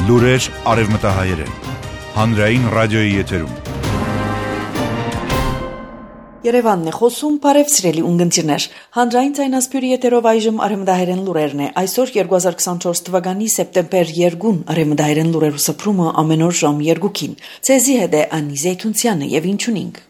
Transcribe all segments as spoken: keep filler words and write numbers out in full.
Լուրեր արևմտահայերեն, հանրային ռադիոյի եթերում։ Երևանն է խոսում, բարև սիրելի ունգընտիրներ։ Հանրային ցայնասպյուրի եթերով այժմ արևմտահայերեն լուրերն է։ Այսօր երկու հազար քսանչորս թվականի սեպտեմբեր երկին արևմտահայերեն լուրերու սփռումը ամեն օր ժամ երկուքին։ Ցեզի հետ է Անի Զեյթունցյանը եւ ինչունինք։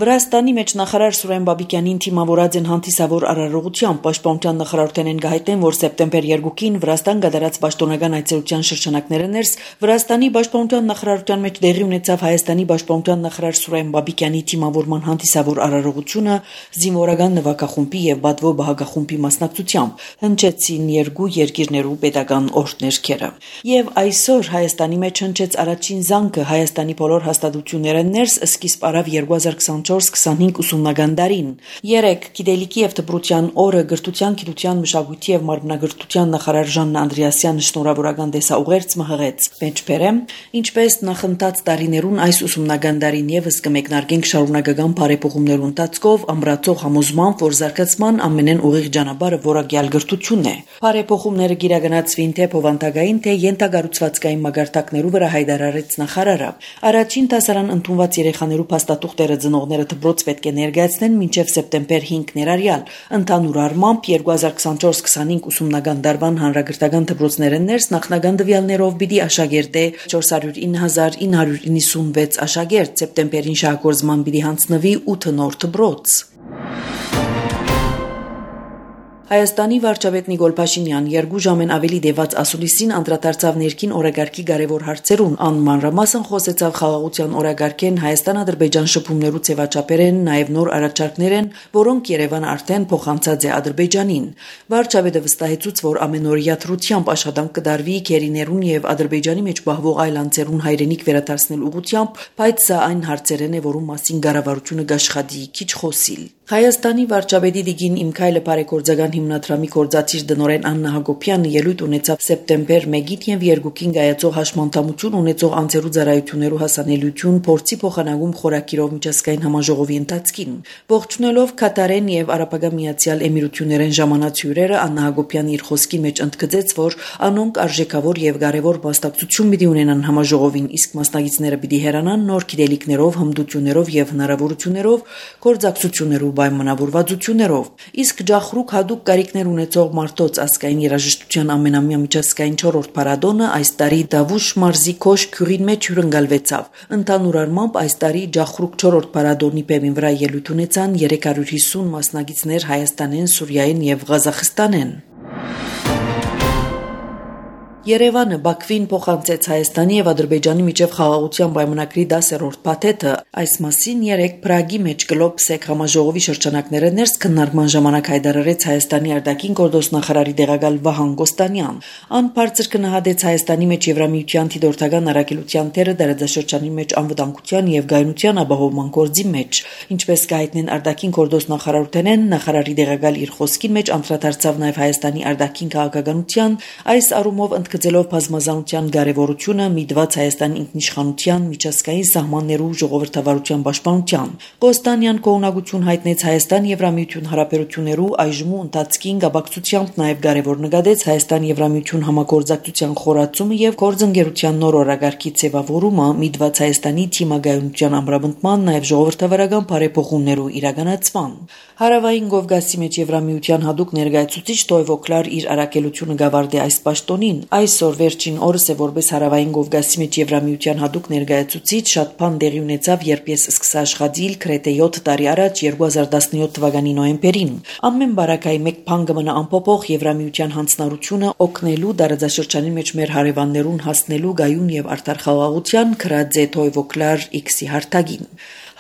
Վրաստանի մեջ նախարար Սուրեն Բաբիկյանին թիմավորած են հանդիսավոր արարողությամբ պաշտպանության նախարարութենեն գահիթեն, որ սեպտեմբեր երկին Վրաստան գդարած պաշտոնական այցելության շրջանակները ներս Վրաստանի պաշտպանության նախարարության մեջ դեղի ունեցավ Հայաստանի պաշտպանության նախարար Սուրեն Բաբիկյանի թիմավորման հանդիսավոր արարողությունը զինվորական նվագախումբի եւ բադվո բահագախումբի մասնակցությամբ հնչեցին երկու երկիրներու պետական օրհներքերը։ Եվ այսօր Հայաստանի մեջ հնչեց առաջին զանգը Հայաստանի բոլոր հաստատությունները ներս սկիզբ արավ երկու հազար քսանչորս քսանհինգ ուսումնական դարին։ Երեք գիտելիքի եւ դպրոցյան օրը գրթության, գիտության, մշակույթի եւ մարմնագրթության նախարար Ժաննա Անդրեասյանը շնորհավորական դեսաուղերձ մհղեց։ Մեջբերեմ, ինչպես նախընթաց տարիներուն այս ուսումնական դարին եւս կմեկնարկենք շարունակական բարեփոխումներու ընթացքով ամրացող համոզմամբ, որ զարգացման ամենեն ուղիղ ճանապարհը որակյալ գրթությունն է։ Բարեփոխումները գիրագնացվին թե փոխանցագային, թե յենթագառուցվածքային մագարտակներու վրա հայտարարեց նախարարը։ Առաջին դասարան ընդունված երեխաներու փաստաթուղթերը ծնողները դպրոց պետք է ներկայացնեն մինչև սեպտեմբեր հինգ ներառյալ։ Ընդհանուր առմամբ երկու հազար քսանչորս քսանհինգ ուսումնական դարվան հանրագրթական դպրոցները ներս նախնական տվյալներով պիտի աշակերտե չորս հարյուր ինը հազար ինը հարյուր իննսունվեց աշակերտ, սեպտեմբերին շահագործման պիտի հանձնվի ութ նոր դպրոց։ Հայաստանի վարչապետ Նիկոլ Փաշինյան երկու ժամեն ավելի դեված ասուլիսին անդրադարձավ ներքին օրագարկի կարևոր հարցերուն, անմանրամասն խոսեցավ խաղաղության օրագարկեն Հայաստան-Ադրբեջան շփումներու ձևաչափերեն, նաև նոր առաջարկներեն, որոնք Երևանը արդեն փոխանցած է Ադրբեջանին։ Վարչապետը վստահեցուց, որ ամենօրյա թրությամբ աշխատանք կդարվի քերիներուն եւ Ադրբեջանի մեջ բահվող այլ անձերուն հայրենիք վերադարձնել ուղղությամբ, բայց սա այն հարցերեն է, որում մասին կառավարությունը կաշխատի քիչ խոսիլ։ Հայաստանի վարչապետի դիգին Իմքայլը բարեգործական հիմնադրամի գործադիր դնորեն Աննա Հակոբյանը ելույթ ունեցավ սեպտեմբեր մեկին եւ երկուքին գայացող հաշմանդամություն ունեցող անձերու ծառայություններու հասանելիություն փորձի փոխանակում խորակիրով միջազգային համաժողովի ընթացքին։ Ողջունելով Կատարեն եւ Արաբական Միացյալ Էմիրություններեն ժամանած հյուրերը, Աննա Հակոբյանը իր խոսքի մեջ ընդգծեց, որ անոնք արժեքավոր եւ կարեւոր մասնակցություն պիտի ունենան համաժողովին, իսկ մասնակիցները պիտի հեռանան նոր գիտելիքներով, հմտություններով եւ հնարավորություններով գործակցություններով պայմանավորվածություններով։ Իսկ Ջախրուկ հadoop կարիքներ ունեցող մարդոց ազգային երաժշտության ամենամյա միջազգային չորրորդ փառատոնը այս տարի Դավուշ մարզի Քոշ քյուրին մեջ հյուրընկալվեցավ։ Ընդհանուր առմամբ այս տարի Ջախրուկ չորրորդ փառատոնի բեմին վրա ելույթ ունեցան երեք հարյուր հիսուն մասնակիցներ Հայաստանեն, Սուրիայեն եւ Ղազախստանեն։ Երևանը Բաքվին փոխանցեց Հայաստանի եւ Ադրբեջանի միջև խաղաղության պայմանագրի դասերորդ փաթեթը։ Այս մասին երեք Պրագի մեջ Գլոբսեկ համաժողովի շրջանակները ներս քննարկման ժամանակ հայտարարեց Հայաստանի արտաքին գործ նախարարի տեղակալ Վահան Գոստանյան։ Ան բարձր գնահատեց Հայաստանի մեջ Եվրամիության դիտորդական առաքելության թերը դարաձաշրջանի մեջ անվտանգության եւ գայունության ապահովման գործի մեջ։ Ինչպես կհայտնեն արտաքին գործ նախարարութենեն, նախարարի տեղակալ իր խոսքին մեջ անդրադարձավ նաեւ Հայաստանի արտաքին քաղաքականության այս առումով գծելով բազմազանության կարևորությունը միտված Հայաստանի ինքնիշխանության, միջազգային սահմաններու ժողովրդավարության պաշտպանության։ Կոստանյան կողմնակություն հայտնեց Հայաստան-Եվրամիություն հարաբերություններու այժմու ընթացքին գաբակցությամբ նաև կարևոր նկատեց Հայաստան-Եվրամիություն համագործակցության խորացումը եւ գործընկերության նոր օրագարկի ձևավորումը միտված Հայաստանի թիմագայունության ամրապնդման, նաև ժողովրդավարական բարեփոխումներու իրականացման։ Հարավային Կովկասի մեջ Եվրամիության հadoop ներկայացուցիչ Տոյվո Կլար իր առաքելությունը գավարդի այս պաշտոնին։ Այսօր վերջին օրս է որպես Հարավային Կովկասի մեջ Եվրամիության հadoop ներկայացուցիչ շատ բան տեղի ունեցավ, երբ ես սկսա աշխատել Կրետե յոթ տարի առաջ երկու հազար տասնյոթ թվականի նոյեմբերին։ Ամեն բարակայի մեկ բան կմնա անփոփոխ Եվրամիության հանձնառությունը օգնելու դարաձաշրջանի մեջ մեր հարևաններուն հասնելու գայուն եւ արդար խաղաղության քրած է Տոյվո Կլար X-ի հարթագին։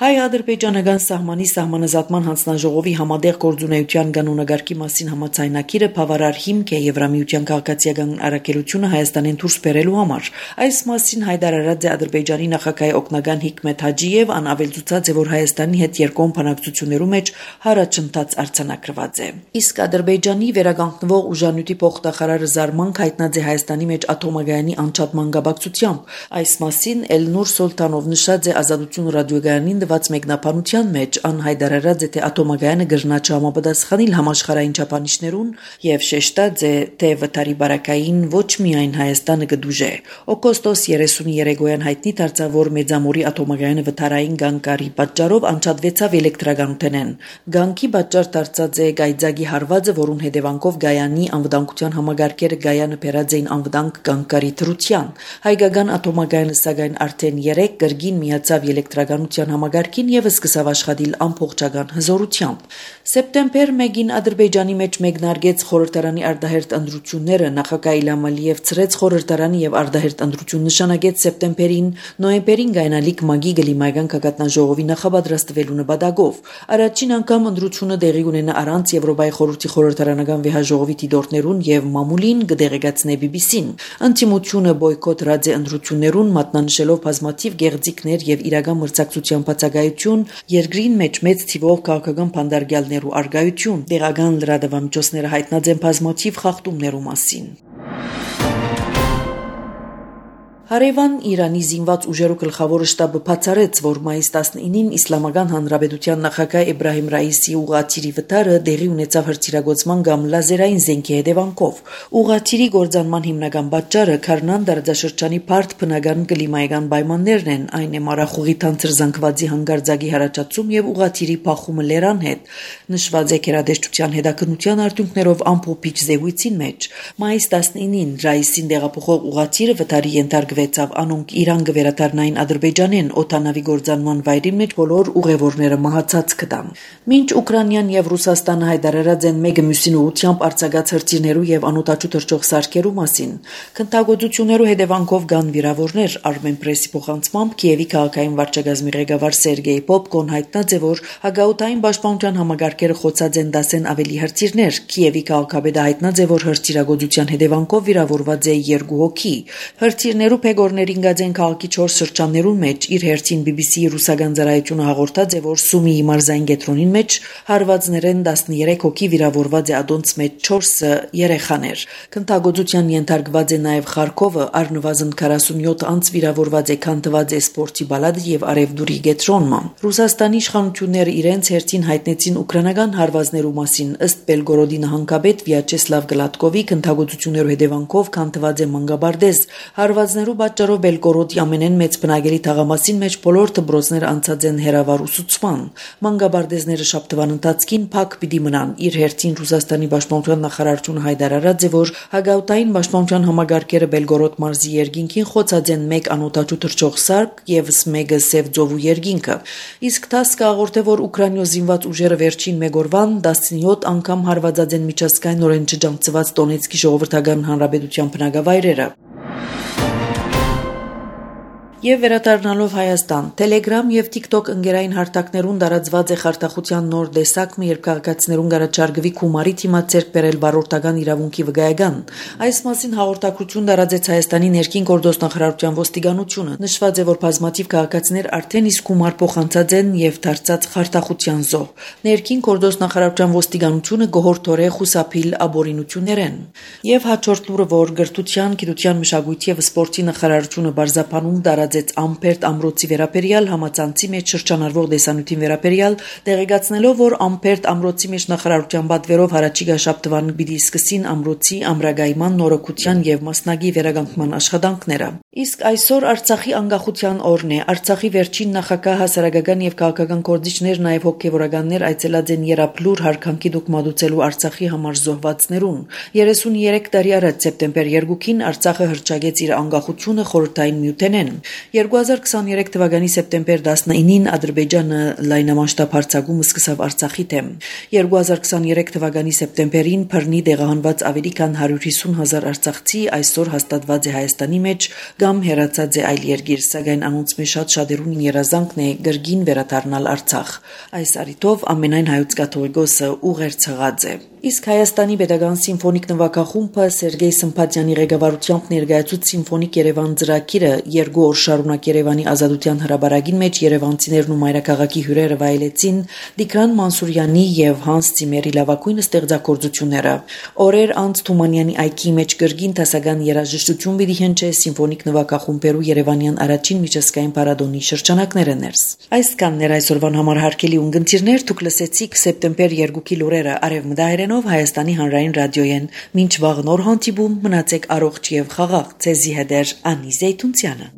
Հայ-ադրբեջանական սահմանի սահմանազատման հանձնաժողովի համատեղ գործունեության կանոնագարկի մասին համաձայնագիրը բավարար հիմք է Եվրամիության քաղաքացիական առաքելությունը Հայաստանին դուրս բերելու համար։ Այս մասին հայտարարած է Ադրբեջանի նախագահ օգնական Հիկմետ Հաջիև, ան ավելցուցած է, որ Հայաստանի հետ երկկողմ բանակցություններու մեջ հարաճընթաց արձանագրված է։ Իսկ Ադրբեջանի վերականգնվող ուժանյութի փոխնախարարը զարմանք հայտնած է Հայաստանի մեջ աթոմագայանի անջատման կապակցությամբ։ Այս մասին Էլնուր Սոլտանով նշած է Ազատություն ռադիոգայանին տված մեկնաբանության մեջ ան հայտարարած է թե ատոմագայանը գրնա չհամապատասխանել համաշխարհային չափանիշներուն եւ շեշտած է թե վթարի բարակային ոչ միայն Հայաստանը կդուժե։ Օգոստոս երեսուններեքոյան հայտնի դարձավ, որ Մեծամորի ատոմագայանը վթարային գանկարի պատճառով անջատվեցավ էլեկտրականութենեն։ Գանկի պատճառ դարձած է գայձագի հարվածը, որուն հետևանքով Գայանի անվտանգության համագարկերը Գայանը բերած էին անվտանգ գանկարի դրության։ Հայկական ատոմագայանը սակայն արդեն երեք կրգին միացավ էլեկտրականության համագարկին եւ սկսավ աշխատել ամբողջական հզորությամբ։ Սեպտեմբեր մեկին Ադրբեջանի մեջ մեկնարկեց խորհրդարանի արտահերտ ընտրությունները, նախագահ Իլհամ Ալիև ծրեց խորհրդարանի եւ արտահերտ ընտրություն նշանակեց սեպտեմբերին, նոյեմբերին գայնալիք մագի գլիմայական գագաթնաժողովի նախապատրաստվելու նպատակով։ Առաջին անգամ ընտրությունը տեղի ունենա առանց Եվրոպայի խորհրդի խորհրդարանական վեհաժողովի դիտորդներուն եւ մամուլին կդեղեկացնե բի բի սին։ Ընտիմությունը բոյկոտ ռադե ընտրություններուն մատնանշելով բազմաթիվ գեղձիկներ եւ իրական մրցակցության բացակայություն, երկրին մեջ մեծ թիվով քաղաքական փանդարգյալներու արգայություն, տեղական լրատվամիջոցները հայտնած են բազմաթիվ խախտումներու մասին։ Հարևան Իրանի զինված ուժերու գլխավոր շտաբը բացառեց, որ մայիս տասնինին Իսլամական Հանրապետության նախագահ Էբրահիմ Ռայիսի ուղղաթիռի վթարը տեղի ունեցավ հրթիռագործման կամ լազերային զենքի հետևանքով։ Ուղղաթիռի գործանման հիմնական պատճառը Քարնան դարաշրջանի բարդ բնական կլիմայական պայմաններն են, այն է մառախուղի թանձր զանգվածի հանգարձակի հարաճացում եւ ուղղաթիռի փախումը լերան հետ։ Նշված է գերադեսչության հետաքննության արդյունքներով ամփոփիչ զեկույցին մեջ։ Մայիս տասնինին Ռայիսին տեղափոխող ուղղաթիռը վթարի ենթարկվեց անոնք Իրան գվերադառնային Ադրբեջանեն օտանավի գործանման վայրի մեջ բոլոր ուղևորները մահացած կտան։ Մինչ Ուկրաինան եւ Ռուսաստանը հայտարարած են մեկը մյուսին ուղությամբ արձակած հրթիռներու եւ անօտաչու թռչող սարքերու մասին, քննադատություններու հետևանքով կան վիրավորներ։ Armenpress-ի փոխանցմամբ Կիևի քաղաքային վարչակազմի ղեկավար Սերգեյ Պոպկոն հայտնած է, որ հագաուտային պաշտպանության համագարկերը խոցած են դասեն ավելի հրթիռներ։ Կիևի քաղաքապետը հայտնած է, որ հրթիռագործության հետևանքով վիրավորված է երկու հոգի։ Հրթիռներու Գորներին գազեն քաղաքի չորս շրջաններուն մեջ իր հերթին բի բի սի-ի ռուսական ծառայությունը հաղորդած է, որ Սումիի մարզային կենտրոնին մեջ հարվածներեն տասներեք հոգի վիրավորված է, ադոնց մեջ չորսը երեխաներ։ Քննադատության ենթարկված է նաև Խարքովը, առնվազն քառասունյոթ անց վիրավորված է, քանթված է սպորտի բալադը եւ Արևդուրի կենտրոնը։ Ռուսաստանի իշխանությունները իրենց հերթին հայտնեցին ուկրաինական հարվածներու մասին, ըստ Բելգորոդի նահանգապետ Վյաչեսլավ Գլատկովի քննադատություններու հետևանքով քանթված է Մանգաբարդեզ։ Հարվածներու պատճառով Բելգորոդի ամենեն մեծ բնակելի թաղամասին մեջ բոլոր դպրոցները անցած են հերավար ուսուցման։ Մանգաբարդեզները շաբթվան ընթացքին փակ պիտի մնան։ Իր հերթին Ռուսաստանի պաշտպանության նախարարությունը հայտարարած է, որ հագաուտային պաշտպանության համագարկերը Բելգորոդ մարզի երկինքին խոցած են մեկ անօտաչու թռչող սարք եւ մեկը Սև ծովու երկինքը։ Իսկ ՏԱՍՍ-ը հաղորդե, որ Ուկրաինայո զինված ուժերը վերջին մեկ օրվան տասնյոթ անգամ հարվածած են միջազգայինորեն չջանցված Դոնեցկի ժողովրդական հանրապետության բնակավայրերը։ Եվ վերադառնալով Հայաստան, Telegram եւ TikTok ընկերային հարթակներուն տարածված է խարտախության նոր տեսակը, երբ քաղաքացիներուն գարաչարգվի գումարի թիմած ձեռք բերել վարորդական իրավունքի վկայական։ Այս մասին հաղորդակցություն տարածեց Հայաստանի ներքին գործոստնախարարության ոստիկանությունը։ Նշված է, որ բազմաթիվ քաղաքացիներ արդեն իսկ գումար փոխանցած են եւ դարձած խարտախության զոհ։ Ներքին գործոստնախարարության ոստիկանությունը գոհորթորե խուսափիլ աբորինություններեն։ Եվ հաջորդ լուրը, որ գրթության, գիտության, մշակույթի եւ սպորտի նախարարությունը բարձապանում տարած Ամպերտ ամրոցի վերաբերյալ համացանցի մեջ շրջանառվող դեսանյութին վերաբերյալ տեղեկացնելով, որ Ամպերտ ամրոցի մեջ նախարարության պատվերով հարաճիգա շաբթվան պիտի սկսին ամրոցի ամրագայման, նորոգության եւ մասնագի վերականգնման աշխատանքները։ Իսկ այսօր Արցախի անկախության օրն է։ Արցախի վերջին նախագահ, հասարակական եւ քաղաքական գործիչներ, նաեւ հոգեվորականներ այցելած են Երապլուր հարկանքի դուք մատուցելու Արցախի համար զոհվածներուն։ երեսուներեք տարի առաջ սեպտեմբեր երկուին Արցախը հռչակեց իր անկախությունը խորհրդային միութենեն։ երկու հազար քսաներեք թվականի սեպտեմբեր տասնինին Ադրբեջանը լայնամասշտաբ հարձակում սկսավ Արցախի դեմ։ երկու հազար քսաներեք թվականի սեպտեմբերին բռնի տեղահանված ավելի քան հարյուր հիսուն հազար արցախցի այսօր հաստատված է Հայաստանի մեջ կամ հեռացած է այլ երկիր, սակայն անոնց մեջ շատ շատերուն երազանքն է գրգին վերադառնալ Արցախ։ Այս առիթով ամենայն հայոց կաթողիկոսը ուղերձ հղած է։ Իսկ Հայաստանի Պետական սիմֆոնիկ նվագախումբը Սերգեյ Սմփատյանի ղեկավարությամբ ներկայացուց Սիմֆոնիկ Երևան ծրագիրը երկու օր շարունակ Երևանի Ազատության հրապարակին մեջ երևանցիներն ու մայրաքաղաքի հյուրերը վայելեցին Տիգրան Մանսուրյանի եւ Հանս Ցիմերի լավագույն ստեղծագործությունները։ Օրեր անց Թումանյանի այգի մեջ գրգին տասական երաժշտություն պիտի հնչե սիմֆոնիկ նվագախումբերու Երևանյան առաջին միջազգային փառատոնի շրջանակները ներս։ Այսքանն էր այսօրվան համար հարգելի ունգընտիրներ, դուք լսեցիք սեպտեմբեր երկուքի լուրերը Արևմտահայերենով Հայաստանի հանրային ռադիոյեն։ Մինչ վաղ նոր հանդիպում մնացեք առողջ եւ խաղաղ։ Ձեզի հետ է Անի Զեյթունցյանը։